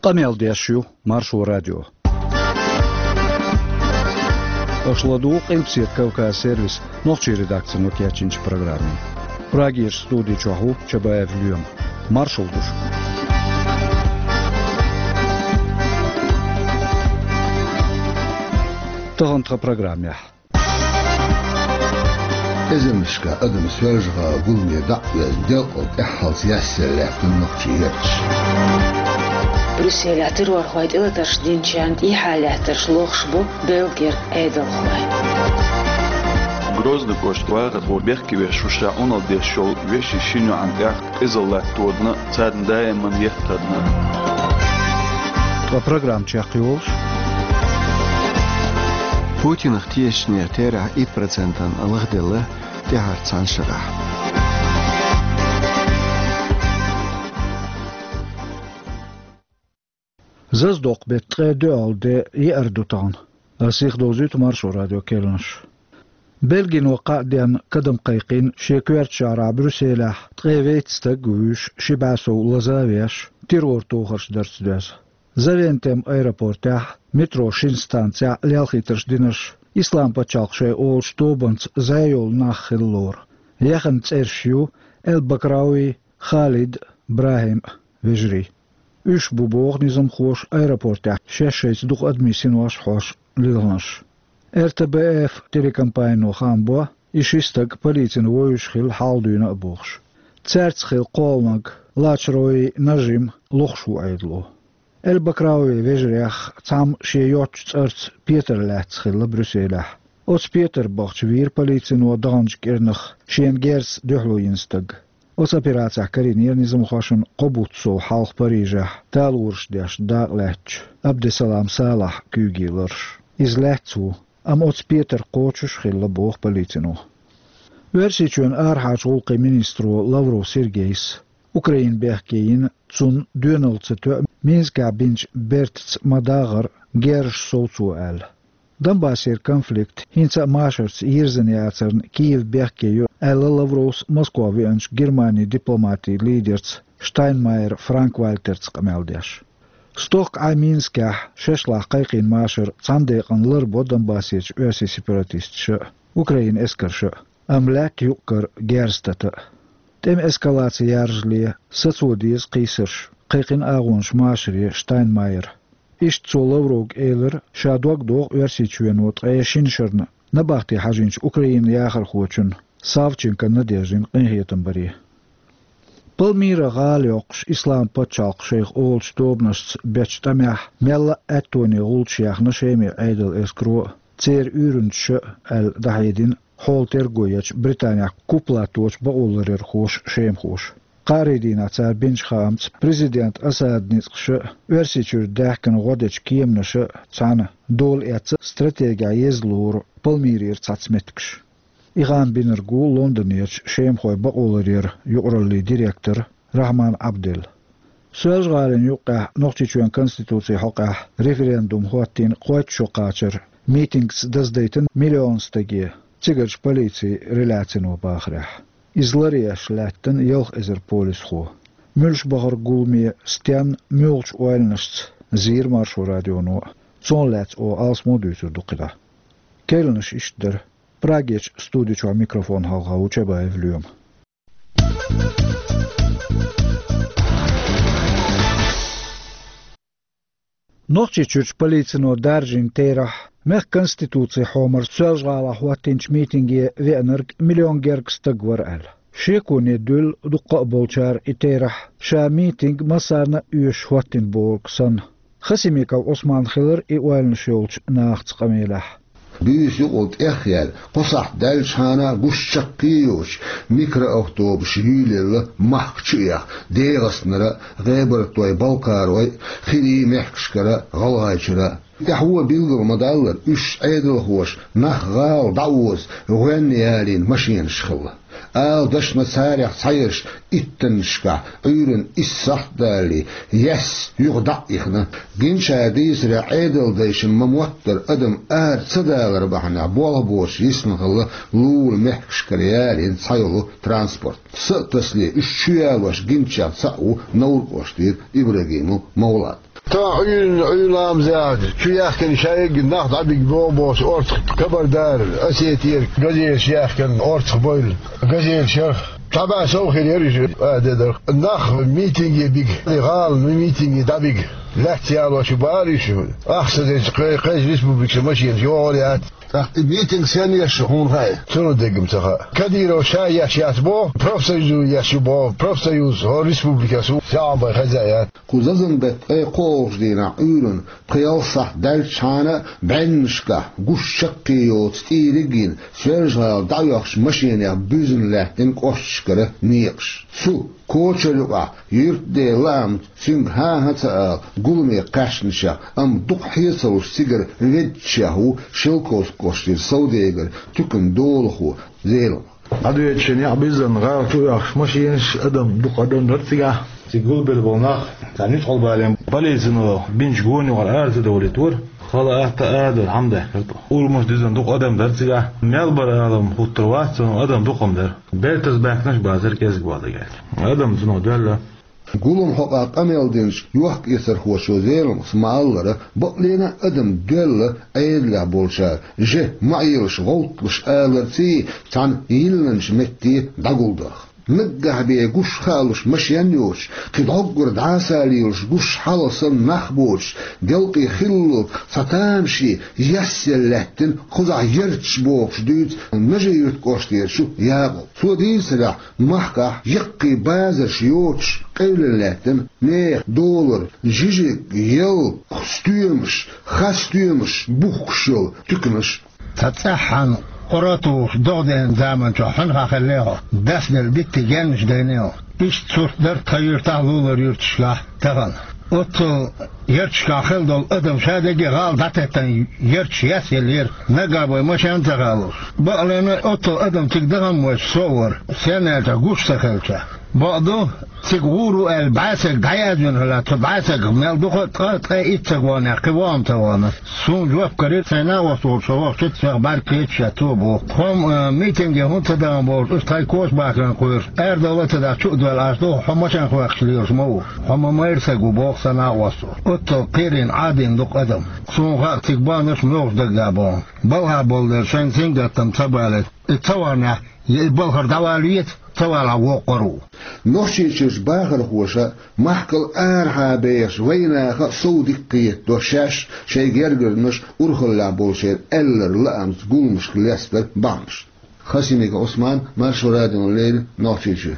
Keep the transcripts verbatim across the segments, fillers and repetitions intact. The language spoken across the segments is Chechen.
Къамел деш ю Маршо радио. Аша ладугӀу Къилбаседа Кавказ сервисан нохчийн редакцино кечйинчу программе. Прагерчу студи чохь ву Чабаев Лоьма. Маршалла ду шуьга. Тахана тхан программехь. Эзарнашкахь адам Соьлжа-ГӀалин гуламе дӀа а везна, делкъал тӀаьххьалц яьсса лаьттина нохчийн гӀерташ. Брюсселехь террорхой тӀелатарш динчарна тӀехьа лаьттарш лохуш бу Бельгера Ӏедалхой. Грозный кӀоштан вахархо бехке веш ву ша Ӏуналла деш йолу вешин шина йоӀана тӀехь къизалла латта тоьдуш, царна даиман еттарна. Ткъа программа чекхйолуш. Путинах тешачу нехан терахь итт процентана лахделла тӀаьхьарчу цхьана шарахь. Зазадоккху беттан ткъе доьалгӀа де, еара ду тахана. Ас сиха довзуьйту Маршо радион керланаш. Бельгино кхаа денна кадам кхайкхина шен коьртачу шахьарахь Брюсселехь ткъе вейтта стаг а вуьйш, ши бӀе сов лаза а веш, террор тохарш дарца доьзна. Завентем аэропортехь, метро шина станцехь лелхийтарш динарш, Ислам-пачхьалкх шайн олучу тобанца зӀе йолу нах хилла лору. Яхана цӀераш ю Эль-Бакрауи, Халид, БрахӀим вежарий. Уьш бу боху низамхоша аэропортехь шаьш шайца дукха адамийн синош хьош лилхинарш. Р Т Б Ф телекомпанино хаам бо, и ши стаг полицина вовзуш хилла хьалха дуьйна а бохуш. Цаьрца хилла кхоалниг Лачрои Нажим лохуш ву Ӏедало. Эль-Бакрауи вежарех цхьамма шен йоцчу цӀарца Петар лаьцна хилла Брюсселехь. Оцу Петар бахча вийра полицино даханчу кӀирнах шена герзаца дуьхьало йина стаг. Оцу операцехь карийнера низамхошна кхо бутт сов хьалха Парижехь талораш деш дакъалаьцначу Абдесалам Салахь куьйгийн ларш. Иза лаьцна ву, амма оцу Петар кхочуш а хилла, боху полицино. Оьрсийчоьнан арахьарчу гӀуллакхийн министро Лавров Сергейс Украина бехке йина, цунна доьналла ца тоьа Минскехь бинчу бертаца ма-даггара герзаш сов цо аьлла. Донбассера конфликт хӀинца а машарца йирзина яцарна Киев бехке йо, аьлла Лавровс Москва веанчу Германин дипломатийн лидерца Штайнмайер Франк-Вальтерца къамел деш. Стохка Ӏай Минскехь шашлахь кхайкхийна машар цхьана декъана ларбо Донбассерчу оьрсийн сепаратисташа а, Украинан эскарша а, амма лаьтта юкъ-кара герз тата а. ТӀеман эскалаци яржале, сацо деза кхийсарш, кхайкхина агӀонаш машаре Штайнмайера. Иштта цо Лавровга элира, ша дог доху Оьрсийчоьно ткъе шина шарна набахте хьажийначу Украинан яхархочун Савченко Надеждин къинхетам баре. Пальмира гӀала йоккхуш Ислам-пачхьалкх шайх олучу тобанашца бечу тӀамехь мелла а аьттоне гӀулчаш яьхна Шеман Ӏедалан эскаро а, церан уьйранчаша а, аьлла дӀахьедина хьолан терго ечу Британехь куплатточу бакъоларъярхоша, шемахоша. Кхаарин дийнахь цара бинчу хаамца, президент Асадан ницкъаша а, Оьрсийчуьра даьхкина гӀо дечу кеманаша а цхьаьна дола эцна стратегехь еза лору Пальмирера цхьацца меттигаш. И хаам бинарг ву Лондонерчу шемахойн бакъоларъяран юкъараллин директор Рахьман Ӏабдел. Соьлжа-ГӀалина юккъехь Нохчийчоьнан конституцин хьокъехь референдум хӀоттийна кхойтта шо кхачар митингца даздайтина миллион стаге, цигарчу полицин реляцино бахарехь. Иза ларъеш лаьттина ялх эзар полисхо. Муьлш бахара гуламе, стенна, муьлхачу ойланашца, зийра Маршо радионо а. Цунах лаьцна оха алсамо дуьйцур ду кхидӀа. Керланаш иштта дара. Прагерчу студи чохь микрофон хьалха ву Чабаев Лоьма. Нохчийчуьрчу полицино даржийна терахь, мехкан конституцин хьомар Соьлжа-ГӀалахь хӀоттийначу митинге веанарг миллион гергга стаг вара аьлла. Шеконе дуьллу дуккха а болчара и терахь, ша митинг массарна а оьшуш хӀоттийна бохург санна. Хасимиков Ӏусман хилира и ойланаш йолчу нахаца къамелехь. Буьйса юкъал тӀехъяьлла, кхо сахьт даьллачхьана а гуш чаккхе а йоцуш, микроавтобус юьйлаелла махка чу а яьхна, ДегӀастанара а, ГӀебартойн, Балкхаройн а, хирийн мехкашкара а, ГӀалгӀайчуьра а. ТӀаьхьо а билгал ма-даллара, уьш Ӏедалхоша нах гӀала дӀаоза, гӀоьнна ялийна машенаш хилла. Ала дашна царех цхьаерш иттаннашкахь, Ӏуьйранна исс сахьт далале, яьсса юха дӀа а ихна. Гинчара дийцарехь, Ӏедалдайшна ма-моттара адам ара ца далар бахьанехь болх боцуш йисна хилла лулахь мехкашкара ялийна цхьайолу транспорт. Са а тасале, уьш чу ялош гиначех цхьаъ ву Невран кӀоштара Ибрагимов Мовлад. Тахана Ӏуьйранна, Ӏуьйранна ламаза чу яхкина шайга нах дӀабига боху-бохуш, орцах Кабардара, Осетера газеташ яхкина орцах бевлла газеташ яра. Цхьа бӀе сов хир яра уьш, а, де дара. Нах митинге бига, гӀала митинге дӀабига. Лаьцна ялош бара уьш, ахча ца дечу кхе-, кхечу республикаша машенаш йогӀур яц. ТӀаккха и митинг сен еш ю хьуна хаьа? Цунна дегга-м ца хаьа. Кадыров ша еш яц боху, профсоюзо еш ю боху, профсоюз хӀора республикехь ву, саьӀан бай хеза яц. Кху зазан беттан ткъе кхоалгӀачу дийнахь Ӏуьйранна пхи-ялх сахьт даьллачхьана бӀеннашкахь гуш чаккхе йоцу тӀийриг а йина, Соьлжа-ГӀала дӀаоьхучу машенех буьзна лаьттина кӀошташкара некъаш. Цу кочара юкъахь юьртда лаамца цуьнга хӀан-хӀа ца ала гуламе кхаьчначех, амма дукха хье ца луш цигара веддачех ву Шелковски кӀоштара совдегар, туьканан долахо Зелимха. ДӀадоьдучу некъ биззина гӀала чу оьхуш машенаш, адам дукха адам дара цигахь. Цига гулбелла болу нах, царна нуьцкъала балийна полицино бинчу гонехула ара ца довлийтора. Хала атта а дара, хьаьмда хир тӀо. Урамаш дизина дукха адам дара цигахь. Мел бара алам хӀуттур вац, цунах адам дукха-м дара. Бертаза баьхкинарш бацара кӀезиг бала дагахь. Адам цунах доьлла. Гулам хьокъехь къамел динчу йохк-эцархочо Зелимхас ма-аллара, бакъ лена а адам доьлла Ӏедалехь болчара, же ма Ӏелаш гӀовтталуш аларций, цхьана йилланчу метте дӀагулдаха. Наггахь бен гуш хаалуш машен йоцуш, кхин дӀоггара дӀасалелаш гуш хьалха санна нах боцуш, делкъе хиллалц цхьа тамашийна ясъелла лаьттина, кхузахь ярташ бохуш дуьйцу Нажи-Юьртан кӀоштара Якъуб. Цо дийцарехь, махкахь яккхий базарш йоцуш къевлина лаьттина, нехан долара жижиг, ял, стоьмаш, хас стоьмаш бухкуш йолу туьканаш. Цхьа цӀеххьана къора а тухуш догӀа деана заманчохь хьуьнхахь хиллехьо, дас делла дитти геннаш дайнехьо. Иштта сурт дара тхан юьртахь а, лулара юьрташкахь а тахана. Оццул ярташкахь хилла долу адам ша дерриге гӀала дӀатеттина ярташ ясъеллера, наггахь бен машен а ца хаалуш. Бакъ лена, оццул адам цига дахана моьттуш со а вара, сенна аьлча гуш ца хилча. Бакъду, цига гӀур ву аьлла, бӀе стаг дӀаязвина хилла, цу бӀе стагах мел дукха а ткъа, ткъе итт стаг вахнехь, кхин вон-м ца вахна. Суна жоп карийра сайн накъост волчу со вахчуьнца, ша бӀаьрг кхеташ а цо боху. Тхо-м, а, митинге хӀунда ца дахана бохуш, уьш тхайн коча бахаран кхоьруш, арадовла а ца дахь, чу а доьлла Ӏаш ду, хьо машен хохкуш лелаш ма ву. Хьо ма майра стаг ву, боху сан накъосто. Оццул кхерийна Ӏадийна дукха адам. Суна хаьа, цига бахнарш муьлхачу даггахь бахна. Балхахь болу дела шайн сингаттам ца балийта. И ца вахнехь, я и балхара дӀавала веза, ца валахь воккхур ву. Нохчийчуьрчу бахархоша, махкал арахьа бехачу вайнаха а сов дика кхетадо шаьш, шайн гергарнаш, урхаллехь болчеран аьлларг лаамца гуламашка лестар бахьанаш. Хасимиков Ӏусман, Маршо радиона леррина, Нохчийчоь.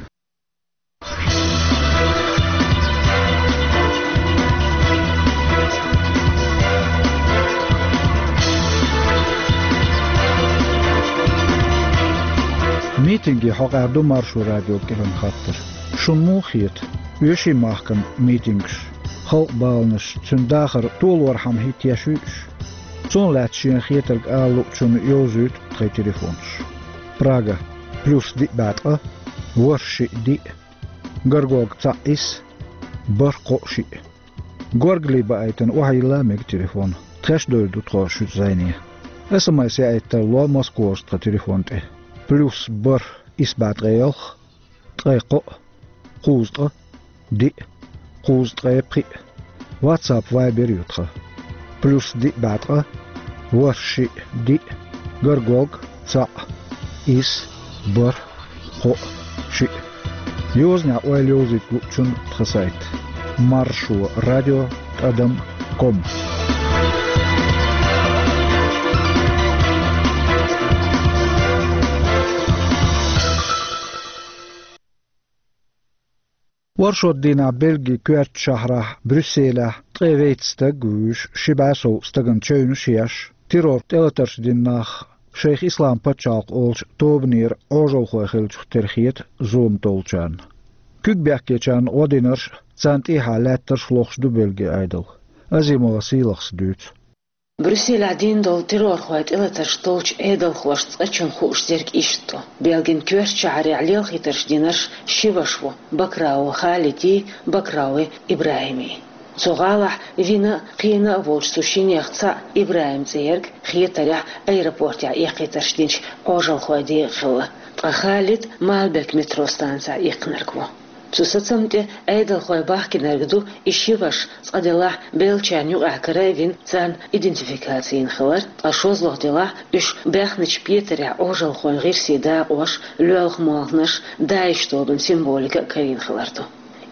Митинге хьокъехь ду Маршо радиога кхоьруш хаттар. Шуна муха хета, оьший махкана митингаш, халкъан баланаш, цуьнан дахар толорхьама хӀиттош ю уьш? Цунах лаьцна шена хетарг ала луучунна йовзуьйту тхайн телефонаш. Прага: плюс диъ бӀе ткъа, ворхӀ шиъ диъ, горгорг цхьаъ исс, бархӀ кхоъ шиъ. Горгали баийтина охьайилла а мега телефон. Тхаьш а девр ду тхо шуьца зӀене. СМС яийта тарло Москварчу тхан телефон тӀе: плюс бархӀ исс бӀе ткъе ялх, ткъе кхоъ, кхузткъа, диъ, кхузткъе пхиъ. WhatsApp, Viber ю тхан. Плюс диъ бӀе ткъа, ворхӀ шиъ диъ, горгорг цхьаъ, исс, бархӀ, кхоъ, шиъ. Йозанехь ойла йовзуьйту луучунна тхан сайт: маршо радио тӀадам ком. Оршот дийнахь Бельгин коьртачу шахьарахь Брюсселехь ткъе вейтта стаг а вуьйш, ши бӀе сов стагана чевнаш а еш, террор тӀелатарш дина нах шайх Ислам пачхьалкх олучу тобанера Ӏожалхой хиллачух тера хета зулам толлучарна. Куьг бехкечарна гӀо динарш а, царна тӀехьа лаьттарш а лохуш ду Бельгин Ӏедал. Азимова Сийлахьас дуьйцу. Брюсселехь дина долу террорхойн тӀелатарш долчу Ӏедалхошна цкъачунна хууш дерг иштта ду. Бельгин коьртачу шахьарехь лелхийтарш динарш ши ваша ву: Бакрауи Халиди, Бакрауи ИбрахӀими. Цу гӀалахь вина а, кхиъна а волчу цу шинех цхьаъ, ИбрахӀим цӀе ерг, хетарехь, аэропортехь эккхийтарш динчу Ӏожалхойн декъахь хилла. Ткъа Халид Маалбек метро станцехь иккхинарг ву. Цу сацамна тӀе Ӏедалхой бахкинарг ду и ши ваша, цкъа делахь, белгчарна юкъахь кара а вина, царна идентификаци йина хилар, ткъа шозлагӀа делахь, уьш баьхначу Петарехь Ӏожалхойн гӀирсийн дакъош, лоьлха молханаш, ДАИШ тобанан символика а карийна хилар ду.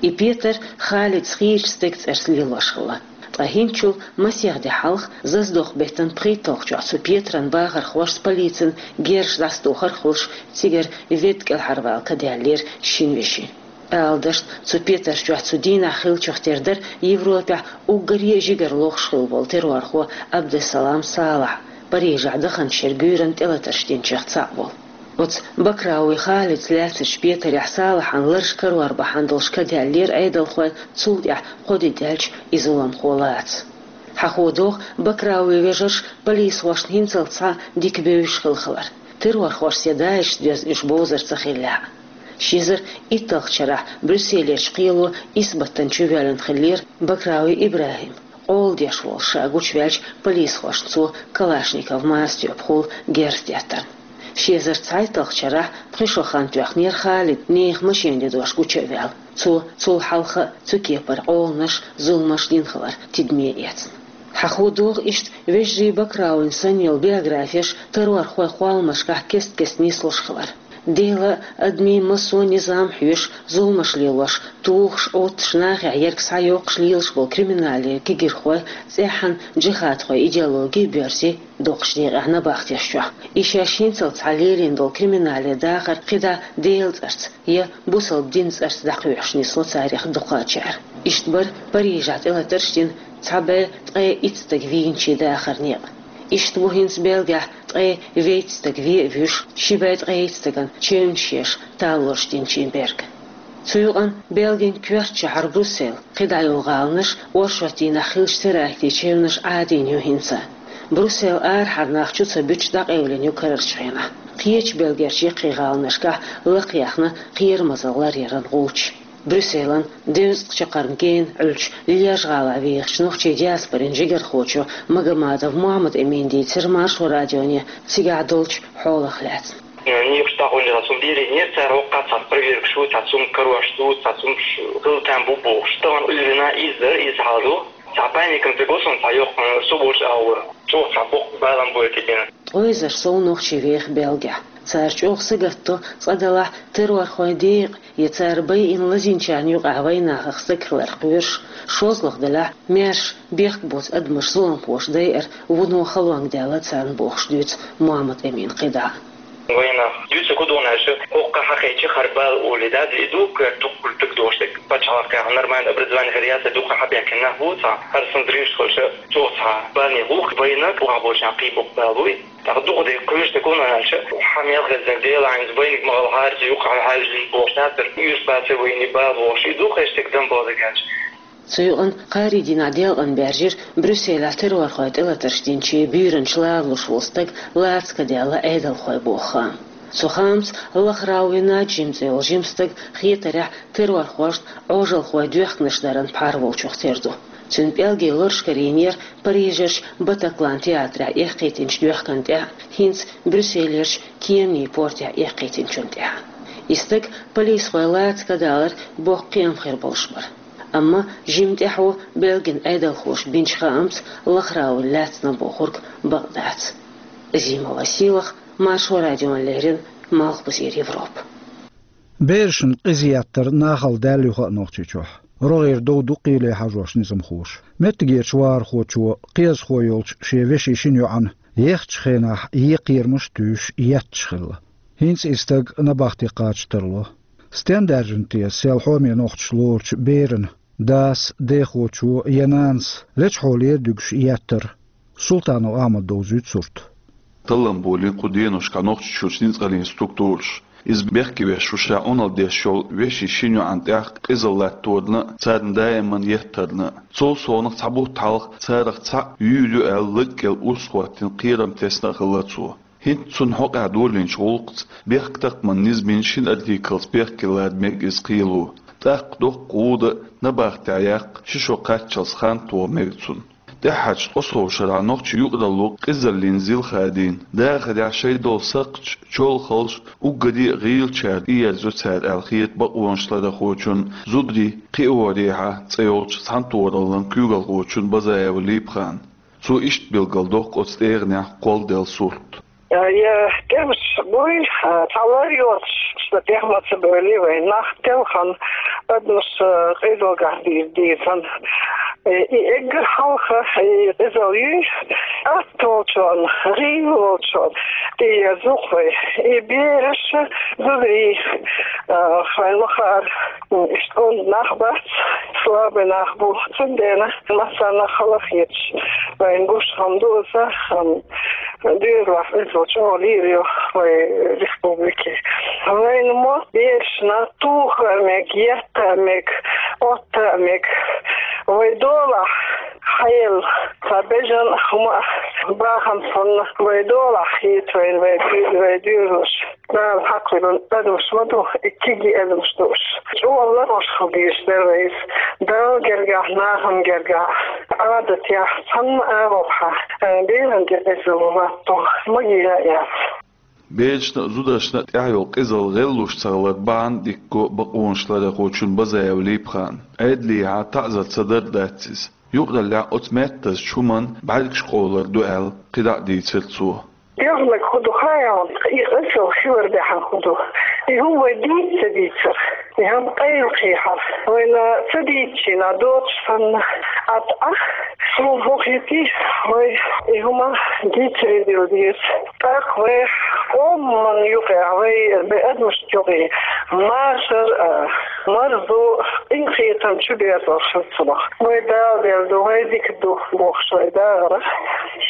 И Петар Халида хийрачу стеган цӀарца лелош хилла. Ткъа хӀинцачул масех де хьалха, заздоху беттан пхийтталгӀачохь цу Петаран бахархошца полицин герзаш дӀасатухар а хуьлуш, цигара ведда кӀелхьарвала ка даьллера шина вешин. Ала дашна, цу Петар чохь цу дийнахь хиллачух тера дара Европехь уггаре а жигара лохуш хилла волу террорхо Абдессалам Салахь, Парижехь даханчу шеран буьйранна тӀелатарш динчех цхьаъ волу. Оцу Бакрауи Халица лаьцначу Петарехь Салахьан лараш карор бахьана долуш ка даьллера Ӏедалхойн, цул тӀаьхьа кхо де даьлча и зуламхо лаца. Хьахо догӀу, Бакрауи вежарш полисхошна хӀинццалц схьа дика бевзаш хилла хилар, террорхошца я ДАИШца доьзна уьш бовзар ца хиллехь а. Ши эзар итталгӀачу шарахь Брюсселерчу кхело исс баттана чувоьллина хиллера Бакрауи ИбрахӀим, къола деш волуш ша гучуваьлча, полисхошна цо Калашников массатоьпахула герз деттарна. Ши эзар цхьайтталгӀачу шарахь пхи шо хан тоьхнера Халид, нехан машен дедош гуча а ваьлла. Цо цул хьалха а цу кепара къоланаш, зуламаш дина хилар тидаме эцна. Хьахо догӀу иштта вежарий Бакрауин санна йолу биографеш террорхойн кхолламашкахь кест-кеста нислуш хилар. Делан а, адамийн а массо а низам хьоьшуш, зуламаш лелош, тухуш, Ӏоттуш, нахехь ерг схьайоккхуш лелаш болу криминале кегийрхой цӀеххьана джихадхойн идеологи а боьрзий доккхачу декъехь набахтеш чохь. И шаьш хӀинццалц схьа лелийна долу криминале дахар кхидӀа Делан цӀарца я бусалба динан цӀарца дӀакхоьхьуш нисло царех дукхачара. Иштта бара Парижехь тӀелатарш дина цхьа бӀе ткъе итт стаг вийначийн дахаран некъ. Иштта ву хӀинца Бельгехь ткъе вейтта стаг вен а вуьйш, ши бӀе ткъе итт стагана чевнаш еш талорш динчийн берг. Цу юкъана Бельгин коьртачу шахьар Брюссель, кхидӀа йолу гӀаланаш оршот дийнахь хиллачу терактийн чевнаш Ӏадийна ю хӀинца. Брюссель арахьара нах чу ца буьтуш дӀакъевлина ю карарчу хенахь. Кхечу Бельгерчу яккхий гӀаланашкахь лакхаяьхна кхерамазалла ларъяран гӀулч. Брюсселан дезткъа чаккхарма гена Ӏуьллучу Льеж-гӀалахь вехачу нохчийн диаспорин жигархочо Магомадов Мухьаммад-Эмина дийцира Маршо радионе цигахь долчу хьолах лаьцна. Некъаш дӀагӀуьллира, цунна леринера цара хӀокху цхьа проверкаш ю, цхьа цунна карош ду, цхьа цунна хила там бу бохуш. Тахана уьйрина иза дара, иза хьал ду. Цхьа паникан ца го суна, цхьа йоккха со бош агӀора. Чохь цхьа боккха балам бойта дина. Ткъе эзар сов нохчи веха Бельгехь. Цара чӀогӀа сагатдо, цкъа делахь, террорхойн декъа я цара байина лазийначарна юкъахь вайнахах стаг хилар кхоьруш, шозлагӀа делахь, маьрша бехк боцу адамаш зуламхоша дайар вуно халонга даьлла царна бохуш дуьйцу Мухьаммад-Эмина кхидӀа. Вайнах дуьйцург хӀун ду аьлча, хӀокху хьакхечи хӀара бала олий дац, и ду кхоьру дуккха дукха дош дерг. Пачхьалкхехь нормальное образование хир яц, дукха хьабехкина нах бу цхьа, хӀара санна дерриш хилча, чӀогӀа цхьа баланийн гӀуллакх вайна, охьаболчарна кхин боккха бала буй. ТӀаккха дукха дерг кхоьруш дерг хӀун ду аьлча, хьан мел хезнарг Делан иза вайниг ма гӀалахьара, иза юккъехь хьаьвзина бохуш нацара, уьйраш бацара вайна бала бохуш, и ду кхечу стеган дам боху дерг аьлча. Цу юкъана кхаарин дийнахь делкъана баьржира Брюсселехь террорхойн тӀелатарш динчийн буьйранчу ларалуш волу стаг лаца ка даьлла Ӏедалхойн боху хаам. Цу хаамца Лахрауи Наджим цӀе йолу жима стаг хетарехь террорхошна Ӏожалхойн доьхканаш даран пхьар волчух тера ду. Цуьнан пӀелгийн лараш карийнера Парижерчу Батаклан театрехь эккхийтинчу доьхкана тӀехь, хӀинца Брюсселерчу кеманийн портехь эккхийтинчунна тӀехь. И стаг полисхой лаца ка далар боккха кхиам хир болуш бара. Амма жимма тӀаьхьо Бельгин Ӏедалхоша бинчу хаамца Лахрауин лаьцна бохург бакъ дац. Зимова Силах, Маршо радиона леррина, Малхбузера Европа. Берашна къиза еттар нахала даьлла ю хаьа Нохчийчохь. РогӀера дов ду кхеле хьажош низамхоша. Меттигерчу вахархочо кхиазхо йолчу шен вешин шина йоӀана ехачу хенахь екха кхерамаш а туьйсуш етташ хилла. ХӀинца и стаг набахте кхача тарло. Стен даьржина те сел хьоме нохчаш лоручу берана дас, дехочо я нанас лечхьо лер дуьгуш еттар? Султанов Ахьмада довзуьйту сурт. Таллам болийна кху деношкахь Нохчийчуьрчу ницкъаллин структураша. Иза бехке веш ву ша Ӏуналла деш йолу вешин шина йоӀана тӀехь къизалла латторна а, царна даиман еттарна а. Цул совнаха цхьа бутт хьалха царах цхьаъ юьйла ю аьлла лаг кӀел урс хӀоттийна кхерам тесна а хилла цо. ХӀинца цунна хьокъехь долийначу гӀуллакхца бехктакхаман низамийн шина артиклца бехке лара мега иза кхело. ТӀаккха доккха гӀуда а, набахтехь яккха ши шо кхаччалц хан тоха мега цунна. ТӀеххьарчу ткъе сов шарахь нохчийн юкъаралло къизаллина зил хадийна. Дахарехь шайн долу сакхташ, чолхалш уггаре а гӀийлачара тӀеерзайо цара аьлла хета бакъонаш ларъярхочун, зударийн кхиорехьа цӀе йолчу цхьаьнатохараллин куьйгалхочун Базаева Липхана. Цо иштта билгалдоккху оцу тӀегӀанехь кхолладелла сурт. Я тӀемаш буй, цхьа лар йоцуш, шна тӀехь ма ца бевлли вайн нах, телхина адамаш къизаллехь дийр дийцина. И эггара хьалха и къизалла юй, атта волчунна, гӀийла волчунна тӀеерза-кх вай. И бераш, зударий, вайн ма-хаъара, иштта онда нах бац, слабый нах бу, цундела массарна хала хеташ, вайна гуш хӀума ду иза, ам, доьзалехь иза чӀогӀа лийр ю вай республике. Вайна мотт берашна тоха а мега, етта а мега, отта а мега. Вай долахь хьаелла, цхьа бежан хӀума а, бахам санна, вай долахь хета вайна вай, вай доьзалш. Дала хьакхвелла адамаш ма ду, и кегий адамаш ду уьш. ЧӀогӀа ларъеш хила дезаш дара вай иза. Далла гергахь, нахана гергахь, Ӏадатехь цхьанна агӀор хьан, э, беран тӀе къизалла латто, магийна а яц. Берашна а, зударшна а тӀехь йолу къизалла гӀеллуш ца хилар бахьана дикка го бакъонаш ларъярхочун Базаева Липхана. Ӏедалехьа таӀзар ца дар дац иза. Юкъараллехь оцу меттазчу хӀуманна бӀаьргаш къовлар ду аьлла, кхидӀа а дийцира цо. Делханиг хӀун ду хаьий хьуна, и къизалла хилар бахьана хӀун ду? И хӀума вай дийца ца дийцар. И хӀума къайлакхехьар. Вайна ца дийцича доцуш санна, атта а, суна хӀун хетий, вай и хӀума дийцаре дилла деза. ТӀаккха вай къоман юкъахь, вай, вай адамашна юкъахь машар а, марзо, къинхетам чу берзор хила ца боху. Вай Дала делла ду, вай дика ду бохуш вай дагӀарах,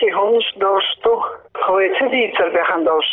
и хӀуманаш долуш ду. Вай ца дийцар бахьана долуш,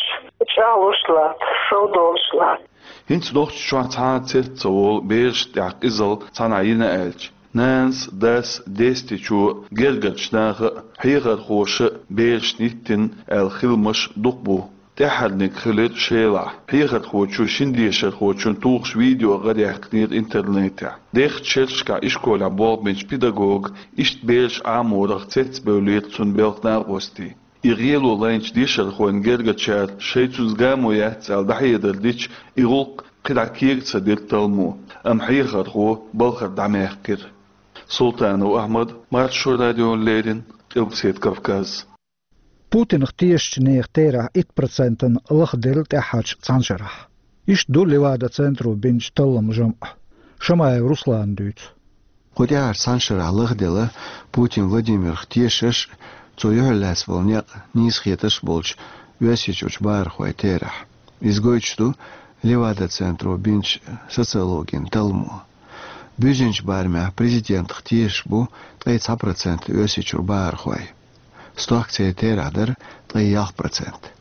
чӀагӀлуш лаьтта, сов долуш лаьтта. ХӀинца Нохчийчохь цхьа а цец ца волу берашна тӀехь къизалла цхьанхьа йина аьлча, нанас, дас, дестечо, гергарчу наха а, хьехархоша а берашна йиттина аьлла хиламаш дукха бу. ТӀаьххьарниг хилира Шелахь. Хьехархочо шина дешархочун тухуш видео гӀараяьккхинера интернетехь. Дехачу шерашкахь ишколехь болх бинчу педагога иштта бераш Ӏаморах цецбевллера цуьнан белхан накъостий. И гӀело лайначу дешархойн гергарчара шайн цуьнца гамо яц аьлла дӀахьедар дича, и гӀуллакх кхидӀа кега ца дира талламо, амма хьехархо балхара дӀамаьккхира. Султанов Ахьмад, Маршо радиона леррина, Къилбаседа Кавказ. Путинах тешачу нехан терахь итт процентана лахделла тӀаьххьарчу цхьана шарахь. Иштта ду Левада-центро бинчу талламан жамӀ. Шамаев Руслана дуьйцу. Кху тӀаьххьарчу цхьана шарахь лахделла Путин Владимирах тешаш а, цо юьхьарлаьцна волу некъ нийса хеташ а болчу Оьрсийчуьрчу бахархойн терахь. Иза гойтуш ду Левада-центро бинчу социологин талламо. Буьззинчу барамехь президентах тешаш бу ткъе цхьа процент Оьрсийчуьра бахархой. Стохка церан терахь дара ткъе ялх процент.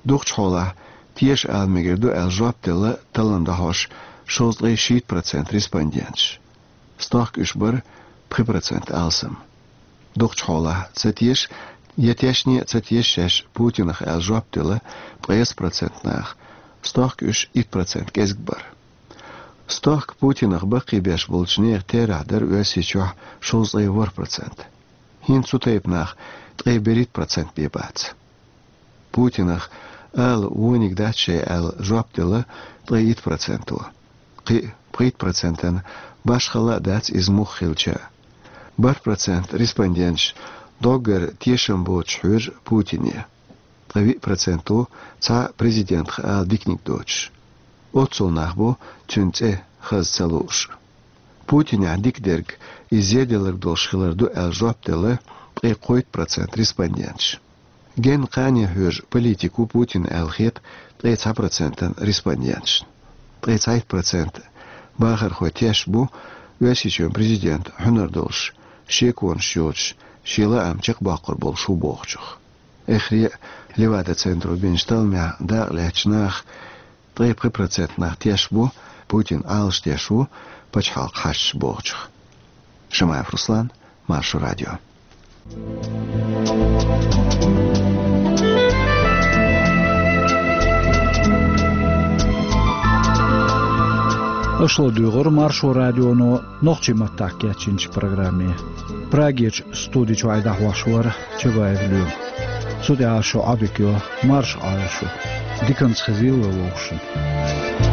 Дукхачу хьолахь теша ала мегар ду аьлла жоп делла таллам дӀахьош шовзткъе шийтта процент респонденташ. Стохка уьш бара пхи процент алсам. Дукхачу хьолахь ца теша я тешне а ца теша шаьш Путинах аьлла жоп делла ткъесна процент наха, стохка уьш итт процент кӀезиг бара. Стохка Путинах баккхийбеш болчу нехан терахь дара Оьрсийчохь шовзткъе ворхӀ процент. ХӀинца цу тайпа нах ткъе берхӀитта процент бен бац. Путинах ала вониг дац шайн аьлла жоп делла ткъе итт проценто. Кхин а пхийтта процентана башхалла а дац иза муха хилча а. БархӀ процент респонденташ доггара тешам боцуш хьоьжу Путине. Ткъе виъ проценто цхьа президентах ала диканиг доцуш. Оццул нах бу цуьнан цӀе хаза ца лууш. Путинехь дика дерг иза зеделларг долуш хилар ду аьлла жоп делла ткъе кхойтта процент респонденташ. Генна кхане хьоьжу политик ву Путин аьлла хета ткъе цхьа процентана респонденташна. Ткъе цхьайтта процент бахархой тешаш бу Оьрсийчоьнан президент хьуьнар долуш, шеконаш йоцуш, шен лаам чекхбоккхур болуш ву бохучух. Эххар а Левада-центро бинчу талламехь дакъалаьцначу наха ткъе пхи процент нах тешаш бу, Путин Ӏалашдеш ву пачхьалкхан хьашташ бохучух. Шамаев Руслан, Маршо радио. Аша ладугӀура Маршо радионо нохчийн маттахь кечйинчу программе. Прагерчу студи чохь и дӀахьош вара Чабаев Лоьма. Цу тӀехь шун Ӏодика йо, марша Ӏойла шу. Диканца хезийла вовшашна.